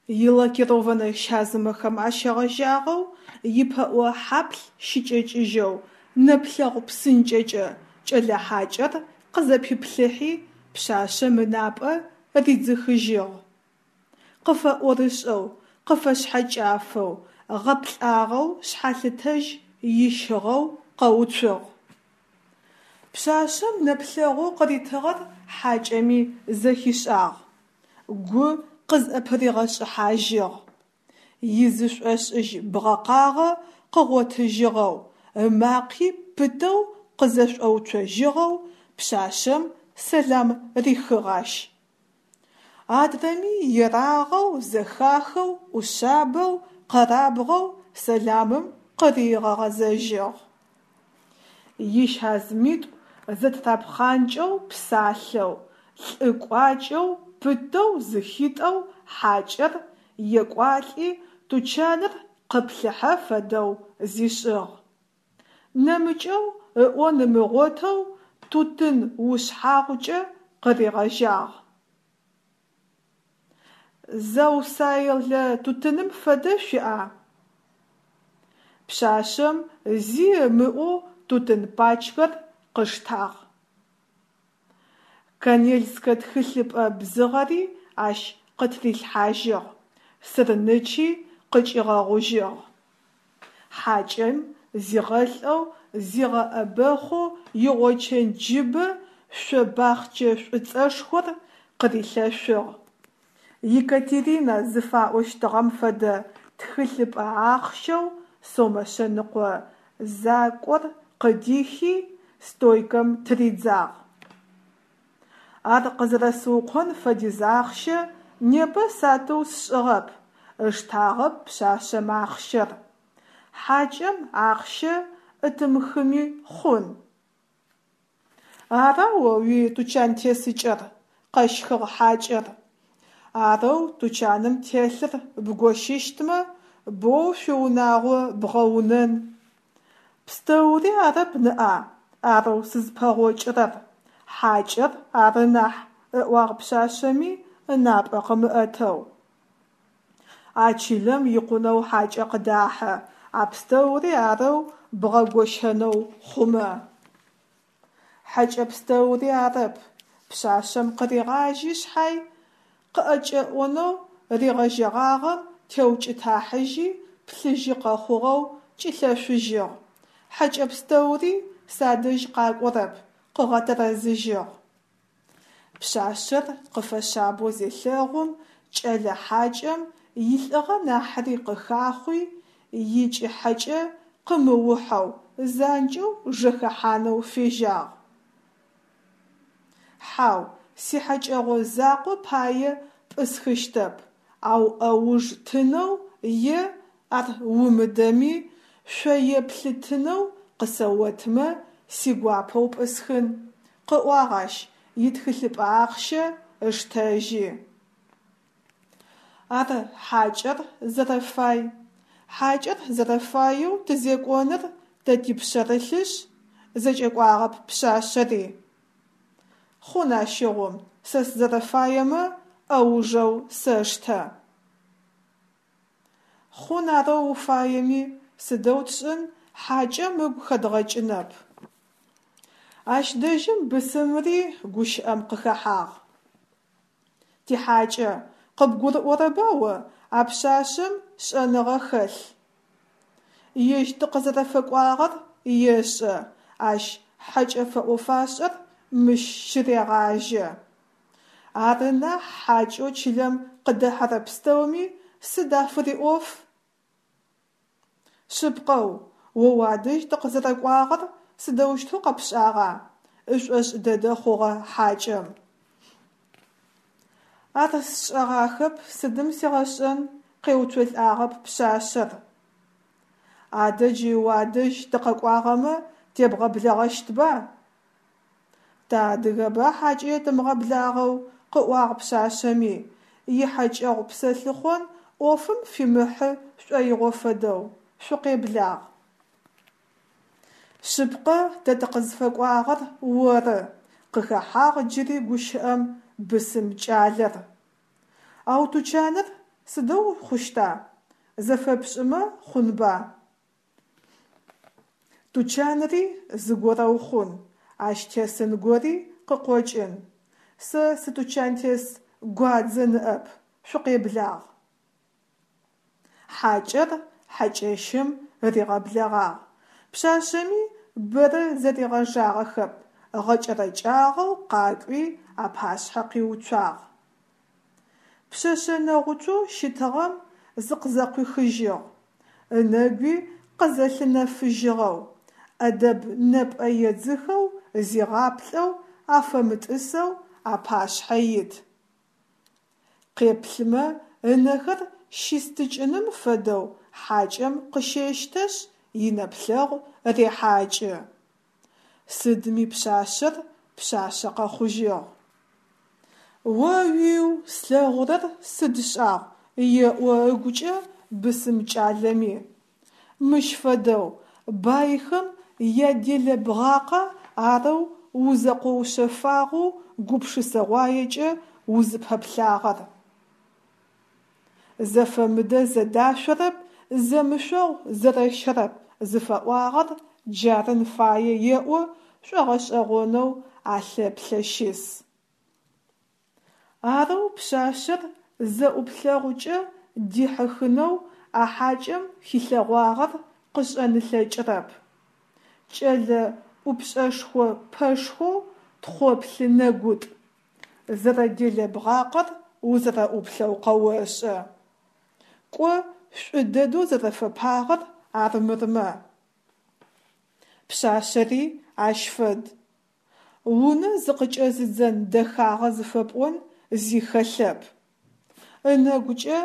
Илакированнэ щазымэхэм ащегъэжьагъэу ипэӏо хьаплъ щыкӏэкӏыжьэу нэплъэгъу псынкӏэкӏэ кӏэлэ хьакӏэр къызэпиплъыхьи, пшъашъэм ынапӏэ ридзыхыжьыгъ. Къыфэӏорышӏэу, къыфэшъхьэкӏафэу, гъэплӏагъэу шъхьалъытэжь ищыгъэу къэуцугъ. Пшъашъэм нэплъэгъоу къыритыгъэр хьакӏэми зэхишӏагъ, гу къызӏэпыригъэшӏыхьажьыгъ. Изышӏошӏыжь бгъэкъагъэ къыгъотыжьыгъэу, ымакъи пытэу къызэшӏоуцожьыгъэу пшъашъэм сэлам рихыгъ ащ. Адрэми ерагъэу, зэхахэу, ӏушъабэу, къэрабгъэу сэламым къыригъэгъэзэжьыгъ. Ищазымитӏу зэтырапхъанкӏэу псалъэу, лӏы кӏуачӏэу пытэу зыхитӏэу хьакӏэр екӏуалӏи тучаныр къыплъыхьэ фэдэу зишӏыгъ. Нэмыкӏэу ыӏон ымыгъотэу тутын ушъхьагъукӏэ къыригъэжьагъ. Заусайлэ тутыным фэдэ шъуиӏа? Пшъашъэм зи ымыӏоу тутын пачкэр къыштагъ. Канельскэ тхылъыпӏэ бзыгъэри ащ къытырилъхьажьыгъ, сырнычи къыкӏигъэгъужьыгъ. Хьакӏэм зигъэлӏэу, зигъэӏэбэхъоу игъочэнджыбэ шъо бахъчэ шӏуцӏэшхор къырилъэшъугъ. Екатерина зыфаӏощтыгъэм фэдэ тхылъыпӏэ ахъщэу сомэ шъэныкъо закӏор къыдихи, стойкэм тыридзагъ. Ар къызэрэсыукъон фэдиз ахъщэ непэ сатыу сшӏыгъэп, ыштагъэп пшъашъэм ахъщэр. Хьакӏэм ахъщэ ӏытымыхыми хъун. Ара о уитучантесыкӏэр? къэщхыгъ хьакӏэр. Арэу тучаным телъыр бгощыщтмэ, боу шъуиунагъо бгъэунэн. Пстэури арэп ныӏа арэу сызпэгъокӏырэр, хьакӏэр ары нахь, ыӏуагъ пшъашъэми ынапӏэ къымыӏэтэу. А чылэм икъунэу хьакӏэ къыдахьэ, а пстэури арэу бгъэгощэнэу хъумэ. Хьэкӏэ пстэури арэп, пшъашъэм къыригъажьи шъхьай, къыӏэкӏэӏонэу ригъэжьэгъагъэм теукӏытахьыжьи, плъыжьы къэхъугъэу кӏилъэшъужьыгъ. Хьэкӏэ пстэури садэжь къакӏорэп, къыгъэтэрэзыжьыгъ. Пшъашъэр къыфэшъабэу зелъэгъум, кӏэлэ хьакӏэм илӏыгъэ нахьыри къыхахъуи, икӏыхьэкӏэ къымыухьэу, занкӏэу жэхэхьанэу фежьагъ. Хьау, сихьэкӏэгъо закъо пае пӏысхыщтэп, ау ӏэуж тынэу е, ар умыдэми, шъоеплъы тынэу къысэотмэ, сигуапэу пӏысхын, къыӏуагъ ащ, итхылъыпӏэ ахъщэ ыштэжьи. Ар хьакӏэр зэрэфай. Хьакӏэр зэрэфаеу тызекӏоныр тэ типшъэрылъышъ, зэкӏэкӏуагъэп пшъашъэри. Хъун ащыгъум, сэ сызэрэфаемэ ӏэужэу сэштэ. Хъун арэу уфаеми, сыдэу тшӏын, хьакӏэм ыгу хэдгъэкӏынэп. Ащ дэжьым бысымри гущыӏэм къыхэхьагъ. Тихьакӏэ, къыбгурыӏорэба о, а пшъашъэм шӏэныгъэ хэлъ. Ежь тыкъызэрэфэкӏуагъэр ешӏэ, ащ хьэкӏэ фэӏо-фашӏэр мыщ щырегъажьэ. Ары нахь хьакӏэу чылэм къыдэхьэрэ пстэуми сыд афыриӏоф? Шъыпкъэу, о уадэжь тыкъызэрэкӏуагъэр сыдэущтэу къэпшӏагъа? ышӏошӏ дэдэ хъугъэ хьакӏэм. Ар сшӏэгъахэп, сыдым сигъэшӏэн, къеуцолӏагъэп пшъашъэр. Адэ джы уадэжь тыкъэкӏуагъэмэ тебгъэблэгъэщтба? Тыадыгэба хьакӏэ етымыгъэблагъэу, къыӏуагъ пшъашъэми, ихьэкӏэгъу псэлъыхъон ӏофым фимыхьы шӏоигъо фэдэу, шъукъеблагъ. Шъыпкъэ, тэ тыкъызфэкӏуагъэр оры, къыхэхьагъ джыри гущыӏэм бысым кӏалэр. Ау тучаныр Сыдэу хъущта, зэфэпшӏымэ хъунба? Тучанри зыгорэу хъун, ащ тесын гори къыкъокӏын. Сэ сытучантес гуадзэ ныӏэп, шъукъеблагъ. Хьакӏэр хьакӏэщым ригъэблэгъагъ. Пшъашъэми бэрэ зэригъэжагъэхэп, гъэкӏэрэкӏагъэу къакӏуи апашъхьэ къиуцуагъ. Пшъэшъэ нэгъуцоу щытыгъэм зыкъызэкъуихыжьыгъ, ынэгуи къызэлъынэфыжьыгъэу, ӏэдэб нэпӏэ едзыхэу зигъаплӏэу афэмытӏысэу апашъхьэ ит. Къеплъымэ ынэхэр щистыкӏыным фэдэу хьакӏэм къыщэщтэшъ, инэплъэгъу рехьакӏы. Сыдми пшъашъэр пшъашъэ къэхъужьыгъ. О-уиу, слъэгъурэр сыд шӏагъу, еӏо ыгукӏэ бысым кӏалэми. Мыщ фэдэу, байхэм яделэбгъакъа арэу узэкъоушъэфагъэу гупшысэгъуаекӏэ узыпэплъагъэр? Зэфэмыдэ зэдашъорэп, зэмышъогъу зэрэщэрэп зыфаӏуагъэр джарын фае еӏо шӏогъэшӏэгъонэу алъэплъэ щыс. Арэу пшъашъэр зэӏуплъэгъукӏэ дихьыхынэу а хьакӏэм хилъэгъуагъэр къышӏэн ылъэкӏырэп. Кӏэлэ ӏупшӏэшхо-пэшхоу тхъоплъы нэгутӏ. Зэрэделэбгъакъэр узэрэӏуплъэу къэошӏэ. Кӏо, шӏу дэдэу зэрэфэпагъэр армырмэ. Пшъашъэри ащ фэд. Унэ зыкъыкӏэзыдзэн дэхагъэ зыфэпӏон зи хэлъэп. Ынэгукӏэ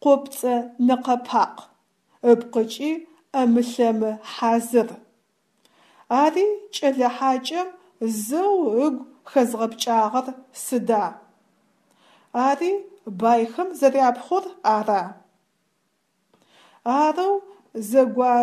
къопцӏэ нэкъэ-пакъ, ыпкъыкӏи ӏэмы-лъэмы хьазыр. Ари кӏэлэ хьакӏэм зэу ыгу хэзгъэпкӏагъэр сыда? Ари байхэм зэряпхъур ара? Арэу зэгуа.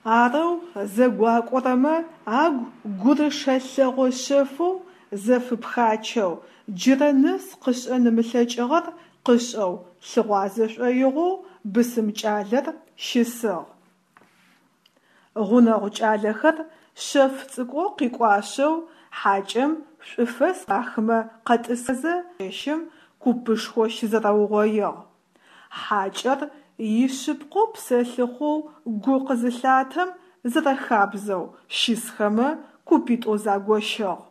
Арэу зэгуакӏорэмэ агу гурышэ лъэгъо шъэфэу зэфыпхачэу, джырэ нэс къышӏэн ымылъэкӏыгъэр къышӏэу лъыгъуазэ шӏоигъоу бысым кӏалэр щысыгъ. Гъунэгъу кӏалэхэр шъэф цӏыкӏоу къикӏуашъэу хьакӏэм шӏуфэс рахымэ къэтӏысызэ чэщым купышхо щызэрэугъоигъ. Хьакӏэр ишъыпкъэу псэлъыхъоу гу къызылъатэм зэрэхабзэу щысхэмэ купитӏоу загощыгъ.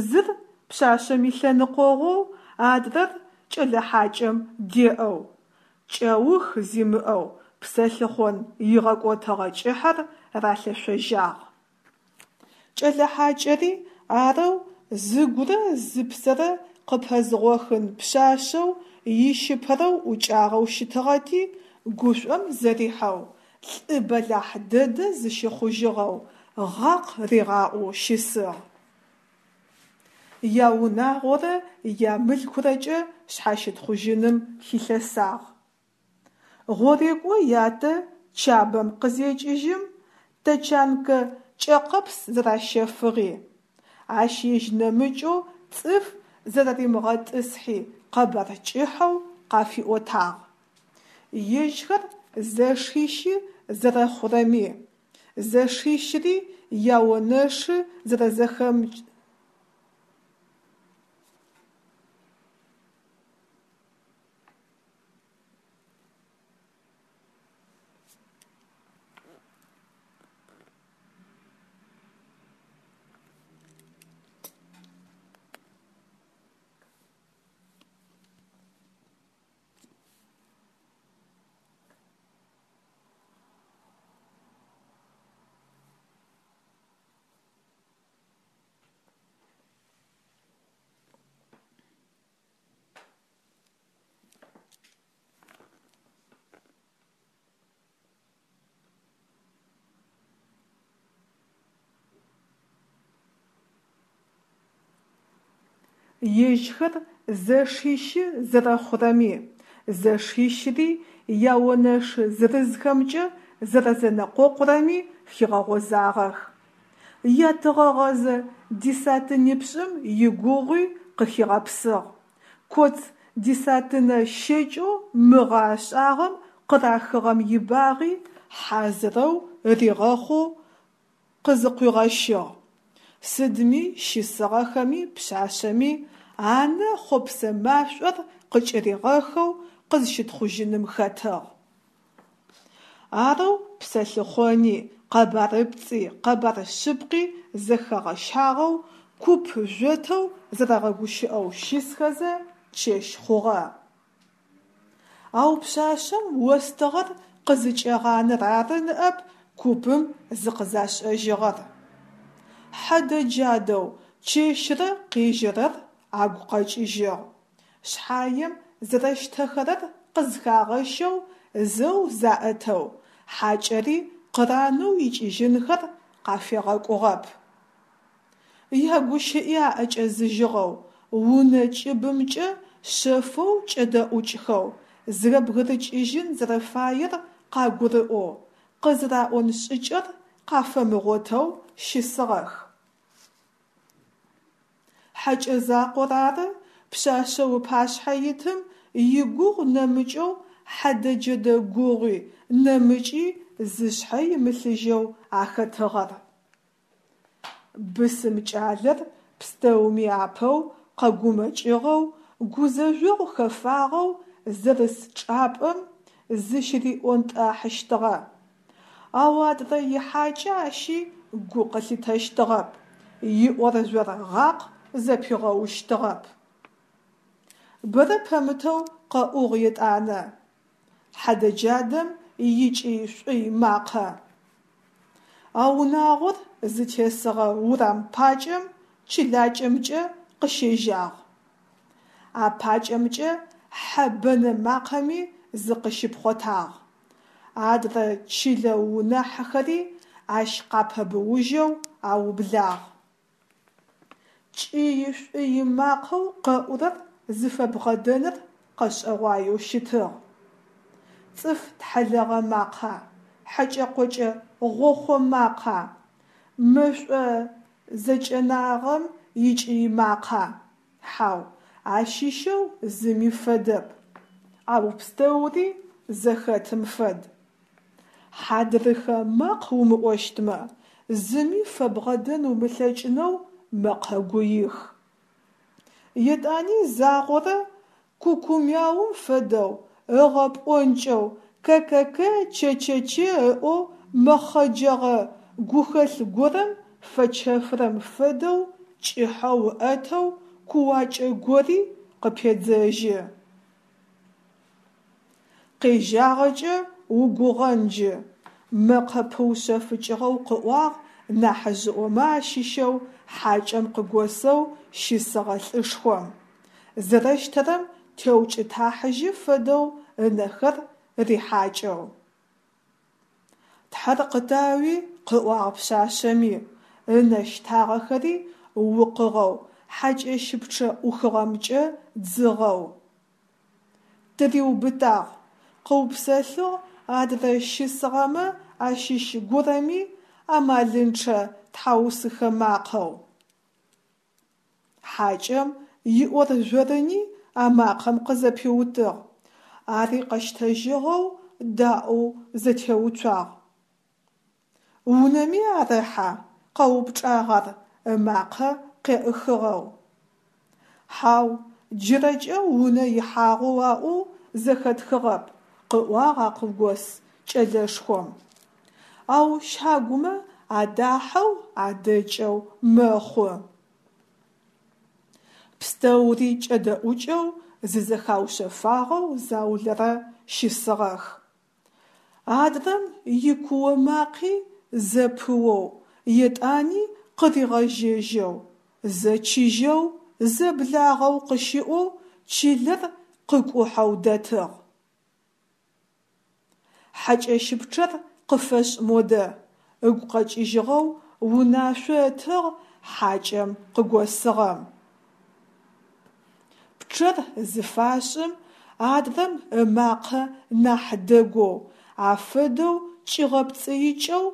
Зыр пшъашъэм илъэныкъогъоу, адрэр кӏэлэ хьакӏэм деӏэу. Кӏэух зимыӏэу псэлъыхъон игъэкӏотыгъэ кӏыхьэр ралъэшъожьагъ. Кӏэлэ хьакӏэри арэу зыгурэ зыпсэрэ къыпэзгъохын пшъашъэу ищыпэрэу ӏукӏагъэу щытыгъэти, гушӏом зэрихьэу, лӏы бэлахь дэдэ зыщыхъужьыгъэу, гъакъ ригъаӏоу щысыгъ. Яунагъорэ ямылъкурэкӏэ шъхьащытхъужьыным хилъэсагъ. Гъорекӏо ятэ Чабэм къызекӏыжьым, тэчанкэ кӏэкъэпс зэращэфыгъи, ащ ежь нэмыкӏэу цӏыф зэрэримыгъэтӏысхьи къэбар кӏыхьэу къафиӏотагъ. Ежьхэр зэшищы зэрэхъурэми, зэшищыри яонэшы зэрэзэхэм. Ежьхэр зэшищы зэрэхъурэми, зэшищыри яонэшы зырызхэмкӏэ зэрэзэнэкъокъурэми хигъэгъозагъэх. Ятыгъэгъэзэ десятинипшӏым игугъуи къыхигъэпсыгъ, коц десятинэ щэкӏэу мыгъэ ашӏагъэм къырахыгъэм ибагъи хьазырэу ригъэхъоу къызыкъуигъэщыгъ. Сыдми щысыгъэхэми пшъашъэми анэ хъопсэ машӏор къыкӏыригъэхэу къызщытхъужьыным хэтыгъ. Арэу псэлъыхъони, къэбарыпцӏи, къэбар шъыпкъи зэхэгъэщагъэу, куп жъотэу зэрэгъэгущыӏэу щысхэзэ чэщ хъугъэ. Ау пшъашъэм остыгъэр къызыкӏегъанэр ары ныӏэп купым зыкъызашӏэжьыгъэр. Хьэдэ-джадэу чэщырэ къежьэрэр агу къэкӏыжьыгъ. Шъхьаем зэрэщтэхэрэр къызхагъэщэу зэу заӏэтэу, хьакӏэри къыранэу икӏыжьынхэр къафегъэкӏугъэп. Ягущыӏи аӏэкӏэзыжьыгъэу, унэ кӏыбымкӏэ шъэфэу кӏэдэӏукӏхэу, зэбгырыкӏыжьын зэрэфаер къагурыӏоу, къызэраӏон шӏыкӏэр къафэмыгъотэу щысыгъэх. Хьэкӏэ закъор ары пшъашъэу ыпашъхьэ итым игугъу нэмыкӏэу хьэдэ-джэдэ гугъуи, нэмыкӏи зышъхьэ имылъыжьэу ахэтыгъэр. Бысым кӏалэр пстэуми апэу къэгумэкӏыгъэу, гузэжъогъу хэфагъэу зэрыс чӏапӏэм зыщыриӏонтӏахьыщтыгъэ. Ау адрэ ихьакӏэ ащи гу къылъитэщтыгъэп, иӏоржъор гъакъ зэпигъэущтыгъэп. Бэрэ пэмытэу къэӏугъ етӏанэ хьэдэ-джадэм икӏый-шӏуй макъэ. А унагъор зытесыгъэ урам пакӏэм чылакӏэмкӏэ къыщежьагъ. А пакӏэмкӏэ хьэ бэнэ макъэми зыкъыщипхъотагъ. Адрэ чылэ унэхьэхэри ащ къапэбыужьэу аублагъ. Кӏый-шӏуй макъэу къэӏурэр зыфэбгъэдэныр къэшӏэгъуаеу щытыгъ. Цӏыф тхьэлэгъэ макъа, хьэкӏэ-къокӏэ гъохъо макъа, мэшӏо зэкӏэнагъэм икӏый макъа? Хьау, ащыщэу зыми фэдэп, ау пстэури зэхэтым фэд. Хьадрыхэ макъ умыӏощтмэ, зыми фэбгъэдэн умылъэкӏынэу мэкъэ гуих. Етӏани загъорэ кукумяум фэдэу ыгъэпӏонкӏэу кэ-кэ-кэ, чэ-чэ-че ыӏоу мэхъэджэгъэ гухэлъ горэм фэчэфырэм фэдэу кӏыхьэу ыӏэтэу кууакӏэ гори къыпедзэжьы. Къежьагъэкӏэ угугъэн джы, мэкъэ пыушъэфыкӏыгъэу къыӏуагъ нахьыжъыӏомэ ащыщэу хьакӏэм къыгосэу щысыгъэ лӏышхом, зэрэщтэрэм теукӏытахьыжьы фэдэу ынэхэр рихьакӏэу. Тхьэр къытауи, къыӏуагъ пшъашъэми, ынэ щтагъэхэри укъыгъэу хьакӏэщыпчъэ ӏухыгъэмкӏэ дзыгъэу. Тыриубытагъ, къыупсэлъыгъ адрэ щысыгъэмэ ащыщ горэми амалынчъэ тхьаусыхэ макъэу. Хьакӏэм иӏоржъорыни а макъэм къызэпиутыгъ. Ари къэщтэжьыгъэу даӏоу зэтеуцуагъ. Унэми арэхьа? – къэупчӏагъ ар ымакъэ къеӏыхыгъэу. Хьау, джырэкӏэ унэ ихьагъэу аӏоу зэхэтхыгъэп, – къыӏуагъ акъыгос кӏэлэшхом. Ау щагумэ адахьэу адэкӏэу мэхъу. Пстэури кӏэдэӏукӏэу зызэхаушъэфагъэу заулэрэ щысыгъэх. Адрэм икуо макъи зэпыоу, етӏани къыригъэжьэжьэу, зэ чыжьэу, зэ благъэу къыщыӏоу чылэр къыкӏухьэу дэтыгъ. Хьакӏэщыпчъэр къыфэшӏ модэ, – ыгу къэкӏыжьыгъэу унашъо ытыгъ хьакӏэм къыгосыгъэм. Пчъэр зыфашӏым, адрэм ымакъэ нахь дэгоу, афэдэу кӏигъэпцӏыикӏэу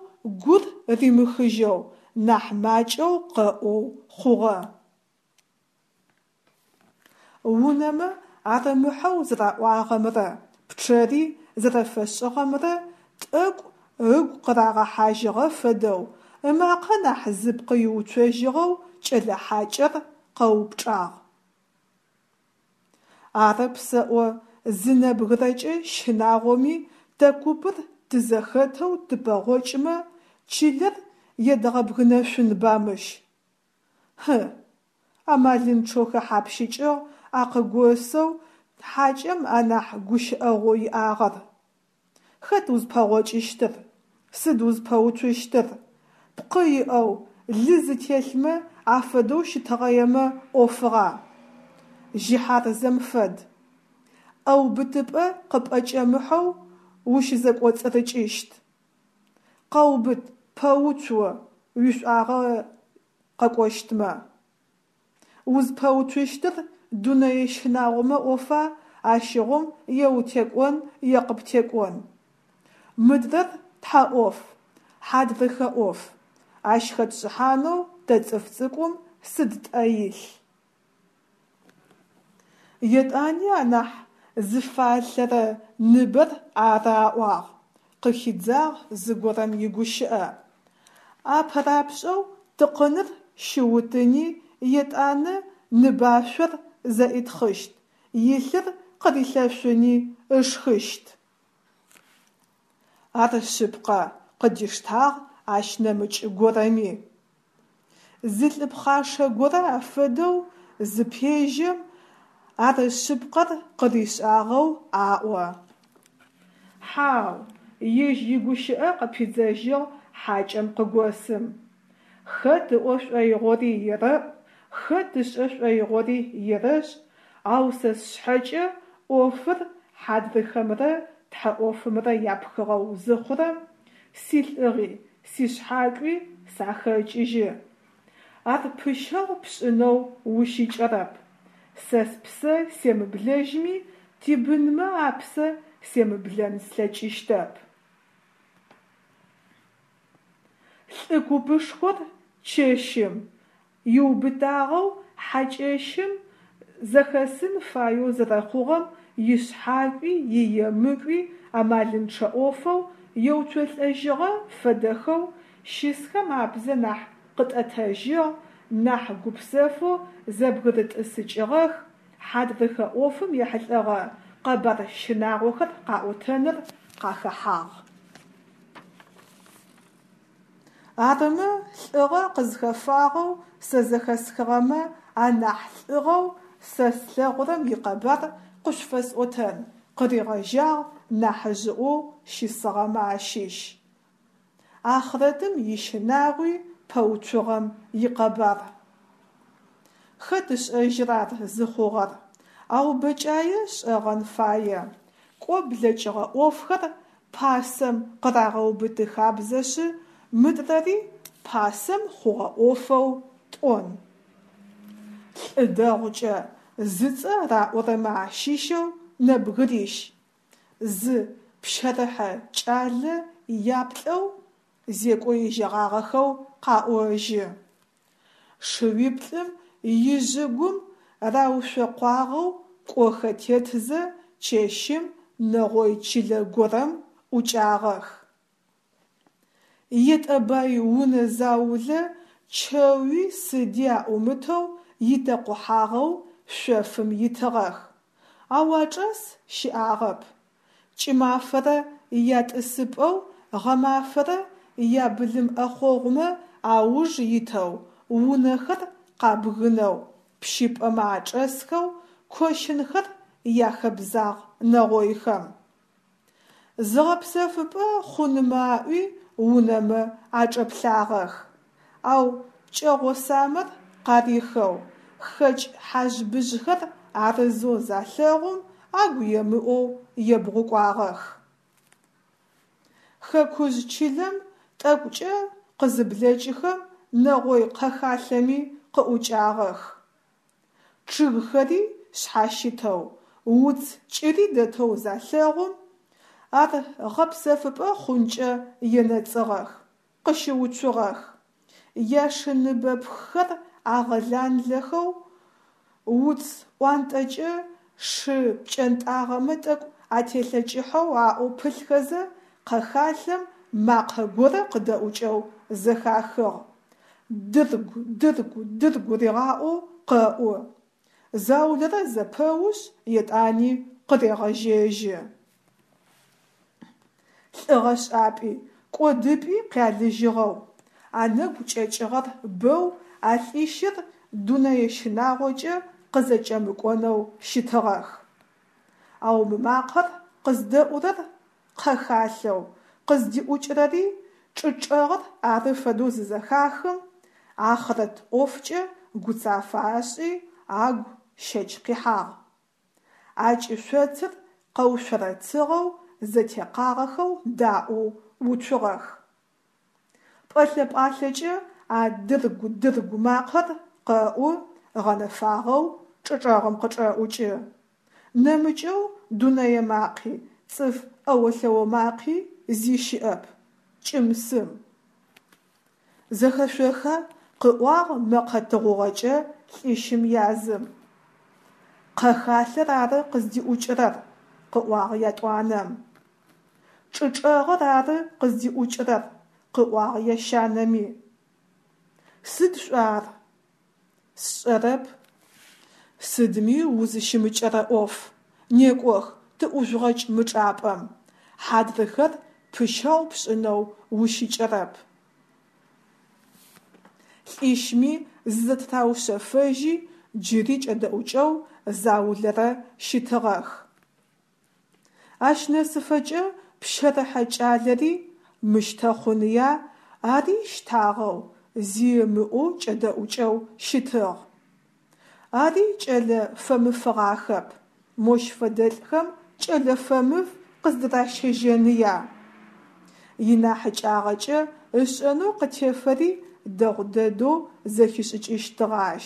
гур римыхыжьэу, нахь макӏэу къэӏоу хъугъэ. Унэмэ арымыхьэу зэраӏуагъэмрэ пчъэри зэрэфэшӏыгъэмрэ тӏэкӏу ыгу къырагъэхьажьыгъэ фэдэу, ымакъэ нахь зыпкъ иуцожьыгъэу кӏэлэ хьакӏэр къэупчӏагъ. Арэп сэӏо, зы нэбгырэкӏэ щынагъоми тэ купыр тызэхэтэу тыпэгъокӏмэ, чылэр едгъэбгынэшъунба мыщ? Хьы! Амалынчъэу хэхьапщыкӏыгъ а къыгосэу хьакӏэм анахь гущыӏэгъоу иӏагъэр. Хэт узпэгъокӏыщтыр? Сыд узпэуцущтыр? Пкъы иӏэу, лы зытелъмэ афэдэу щытыгъэемэ ӏофыгъа. Жьыхьарзэм фэд. ӏэубытыпӏэ къыпӏэкӏэмыхьэу ущызэкӏоцӏырыкӏыщт. Къэубыт, пэуцу о, уишӏуагъэ къэкӏощтмэ. Узпэуцущтыр дунэе щынагъомэ ӏофа, ащыгъум е утекӏон, е къыптекӏон. Мыдрэр тхьэ ӏоф, хьадрыхэ ӏоф. Ащ хэтшӏыхьанэу тэ цӏыф цӏыкӏум сыд тӏэ илъ. Етӏани анахь зыфалъэрэ ныбэр ары аӏуагъ, къыхидзагъ зыгорэм игущыӏэ. Апэрапшӏэу тыкъыныр щиутыни, етӏанэ ныбашъор зэӏитхъыщт, илъыр къырилъэшъуни ышхыщт. Ар шъыпкъэ, къыдиштагъ ащ нэмыкӏ горэми. Зы лӏы пхъашэ горэ афэдэу зыпежьэм, ар шъыпкъэр къыришӏагъэу аӏо. Хьау, ежь игущыӏэ къыпидзэжьыгъ хьакӏэм къыгосым. Хэт ыӏо шӏоигъори ерэӏу, хэт ышӏэ шӏоигъори ерэшӏ, ау сэ сшъхьэкӏэ ӏофыр хьадрыхэмрэ тхьэ ӏофымрэ япхыгъэу зыхъурэм, силӏыгъи, сишъхьакӏуи сахэкӏыжьы. Ар пыщэгъу пшӏынэу ущыкӏэрэп. Сэ спсэ семыблэжьми, тибынмэ апсэ семыблэн слъэкӏыщтэп. Лӏы купышхор чэщым иубытагъэу хьакӏэщым зэхэсын фаеу зэрэхъугъэм ишъхьакӏуи иемыкӏуи амалынчъэ ӏофэу еуцолӏэжьыгъэ фэдэхэу щысхэм абзэ нахь къытӏэтэжьыгъ, нахь гупсэфэу зэбгырытӏысыкӏыгъэх, хьадрыхэ ӏофым ехьылӏэгъэ къэбар щынагъохэр къаӏотэныр къахэхьагъ. Арымэ, лӏыгъэ къызхэфагъэу сэ зэхэсхыгъэмэ анахь лӏыгъэу сэ слъэгъурэм икъэбар къышъуфэсӏотэн, къыригъэжьагъ нахьыжъыӏоу щысыгъэмэ ащыщ. Ахърэтым ищынагъуи пэуцугъэм икъэбар. Хэт ышӏэжьрэ ар зыхъугъэр, ау бэкӏае шӏэгъэн фае. Кӏо блэкӏыгъэ ӏофхэр пасэм къырагъэубыты хабзэшъы, мыдрэри пасэм хъугъэ ӏофэу тӏон. Лӏы дэгъукӏэ зыцӏэ раӏорэмэ ащыщэу нэбгырищ, зы пщэрыхьэ кӏалэ яплӏэу зекӏо ежьэгъагъэхэу къаӏожьы. Шыуиплӏым ижъыгум раушъокъуагъэу кӏохэ тетзэ чэщым нэгъой чылэ горэм ӏукӏагъэх. Етӏэбай унэ заулэ чэуи сыди аӏумытэу итэкъухьагъэу шъофым итыгъэх, ау ачӏэс щыӏагъэп. Кӏымафэрэ ятӏысыпӏэу, гъэмафэрэ ябылым ӏэхъогъумэ ауж итэу унэхэр къабгынэу, пщыпӏэмэ ачӏэсхэу кощынхэр яхэбзагъ нэгъойхэм. Зыгъэпсэфыпӏэ хъунмэ аӏуи унэмэ ачӏэплъагъэх, ау пкӏэгъо самэр къарихэу, хэкӏ хьажъ-быжъхэр арызэу залъэгъум, агу емыӏоу ебгъукӏуагъэх. Хэкужъ чылэм тӏэкӏукӏэ къызыблэкӏыхэм нэгъой къэхалъэми къыӏукӏагъэх. Чъыгхэри шъхьащытэу, уц кӏыри дэтэу залъэгъум, ар гъэпсэфыпӏэ хъункӏэ енэцӏыгъэх, къыщыуцугъэх. Яшыныбэпххэр агъэланлэхэу, уц ӏуантӏэкӏэ шы пкӏэнтӏагъэмэ тӏэкӏу ателъэкӏыхьэу аӏоу пылъхэзэ, къэхалъэм макъэ горэ къыдэӏукӏэу зэхахыгъ. Дыргу, дыргу, дыргу ригъаӏоу къэӏу. Заулэрэ зэпэушъ, етӏани къырегъэжьэжьы. Лӏыгъэшӏапӏи, кӏодыпӏи къялыжьыгъэу, анэгу кӏэкӏыгъэр бэу а лӏищыр дунэе щынагъокӏэ къызэкӏэмыкӏонэу щытыгъэх. Ау мы макъэр къыздэӏурэр къэхалъэу, къыздиӏукӏырэри чӏы чӏэгъыр ары фэдэу зызэхахым, ахърэт ӏофкӏэ гуцафэ ашӏи, агу щэч къихьагъ. А кӏышъоцыр къэушъорэцыгъэу, зэтекъагъэхэу даӏоу уцугъэх. Пӏэлъэ-пӏалъэкӏэ а дыргу-дыргу макъэр къэӏу, гъэнэфагъэу чӏычӏэгъым къычӏэӏукӏы. Нэмыкӏэу дунэе макъи, цӏыф ӏэо-лъэо макъи зи щыӏэп. Кӏым-сым. Зэхэшъоха? къыӏуагъ мэкъэ тыгъугъэкӏэ лӏищым язым. Къэхалъэр ары къыздиӏукӏырэр, къыӏуагъ ятӏуанэм. Чӏы чӏэгъыр ары къыздиӏукӏырэр, къыӏуагъ ящанэми. Сыд шӏуа ар? Сшӏэрэп. Сыдми узыщымыкӏэрэ ӏоф. Некӏох, тыӏужъугъэкӏ мы чӏапӏэм. Хьадрыхэр пыщэгъу пшӏынэу ущыкӏэрэп. Лӏищми зызэтыраушъэфэжьи, джыри кӏэдэӏукӏэу заулэрэ щытыгъэх. Ащ нэсыфэкӏэ пщэрыхьэ кӏалэри мыщтэ хъуныя, ари щтагъэу, зи ымыӏоу кӏэдэӏукӏэу щытыгъ. Ари кӏэлэ фэмыфыгъахэп, мощ фэдэлӏхэм кӏэлэ фэмыф къыздыращэжьэныя? Инахьыкӏагъэкӏэ ышӏэнэу къытефэри дэгъу дэдэу зэхишӏыкӏыщтыгъ ащ.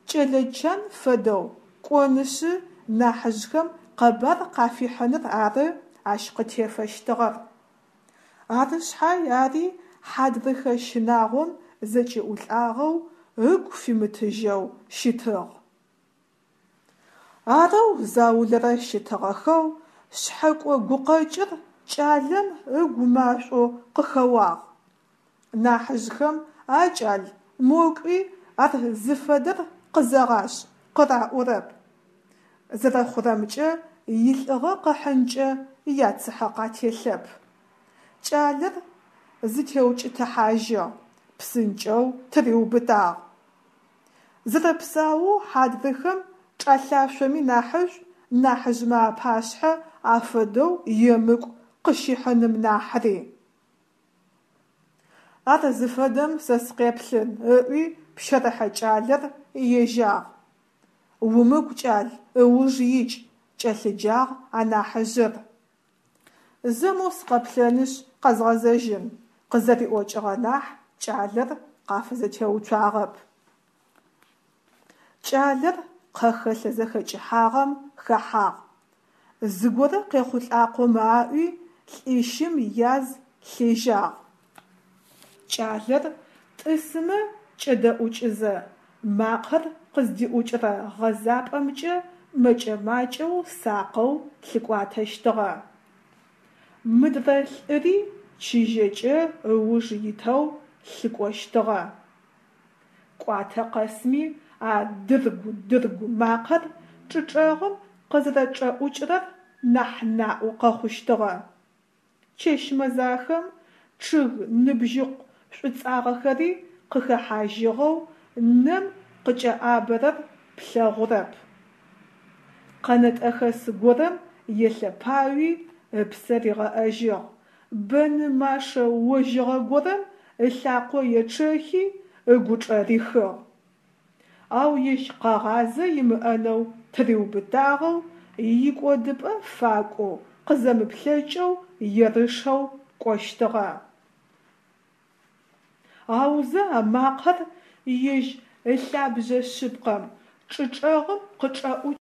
Кӏэлэ чан фэдэу кӏонышъы нахьыжъхэм къэбар къафихьыныр ары ащ къытефэщтыгъэр. Ары шъхьай ари хьадрыхэ щынагъом зэкӏиӏулӏагъэу, ыгу фимытыжьэу щытыгъ. Арэу заулэрэ щытыгъэхэу шъхьэкӏо гукъэкӏыр кӏалэм ыгу машӏоу къыхэуагъ. Нахьыжъхэм «А кӏал, мо кӏуи ар зыфэдэр къызэгъашӏ» къыраӏорэп. Зэрэхъурэмкӏэ, илӏыгъэ къыхьынкӏэ яцыхьэ къателъэп. Кӏалэр зытеукӏытыхьажьыгъ, псынкӏэу тыриубытагъ. Зэрэпсаоу хьадрыхэм чӏалъашъоми нахьышӏу нахьыжъмэ апашъхьэ афэдэу емыкӏу къыщихьыным нахьри. Ар зыфэдэм сэ сыкъеплъын, ыӏуи пщэрыхьэ кӏалэр ежьагъ. Умыкӏу, кӏал, ыуж икӏ, кӏэлъыджагъ анахьыжъыр. Зэ моу сыкъэплъэнышъ къэзгъэзэжьын, къызэриӏокӏыгъэ нахь кӏалэр къафызэтеуцуагъэп. Кӏалэр къэхэлъэ зэхэкӏыхьагъэм хэхьагъ. Зыгорэ къехъулӏакъомэ аӏуи, лӏищым яз лъежьагъ. Кӏалэр тӏысымэ кӏэдэӏукӏызэ, макъэр къыздиӏукӏырэ гъэзапӏэмкӏэ мэкӏэ-макӏэу сакъэу лъыкӏуатэщтыгъэ. Мыдрэ лӏыри чыжьэкӏэ ыуж итэу лъыкӏощтыгъэ. Кӏуатэ къэсми а дыргу-дыргу макъэр чӏычӏэгъым къызэрэчӏэӏукӏырэр нахь наӏо къэхъущтыгъэ. Чэщ мэзахэм, чъыг ныбжьыкъу шӏуцӏагъэхэри къыхэхьажьыгъэу, нэм къыкӏэӏабэрэр плъэгъурэп. Къэнэтӏэхэс горэм елъэпауи ыпсэ ригъэӏэжьыгъ, бэны машэ ожьыгъэ горэм ылъакъо ечъэхи, ыгучӏэ рихыгъ. Ау ежь къэгъазэ имыӏэнэу тыриубытагъэу, икӏодыпӏэ факӏоу, къызэмыплъэкӏэу ерышэу кӏощтыгъэ. Аузэ а макъэр ежь ылъабжъэ шъыпкъэм, чӏычӏэгъым къычӏэӏукӏ.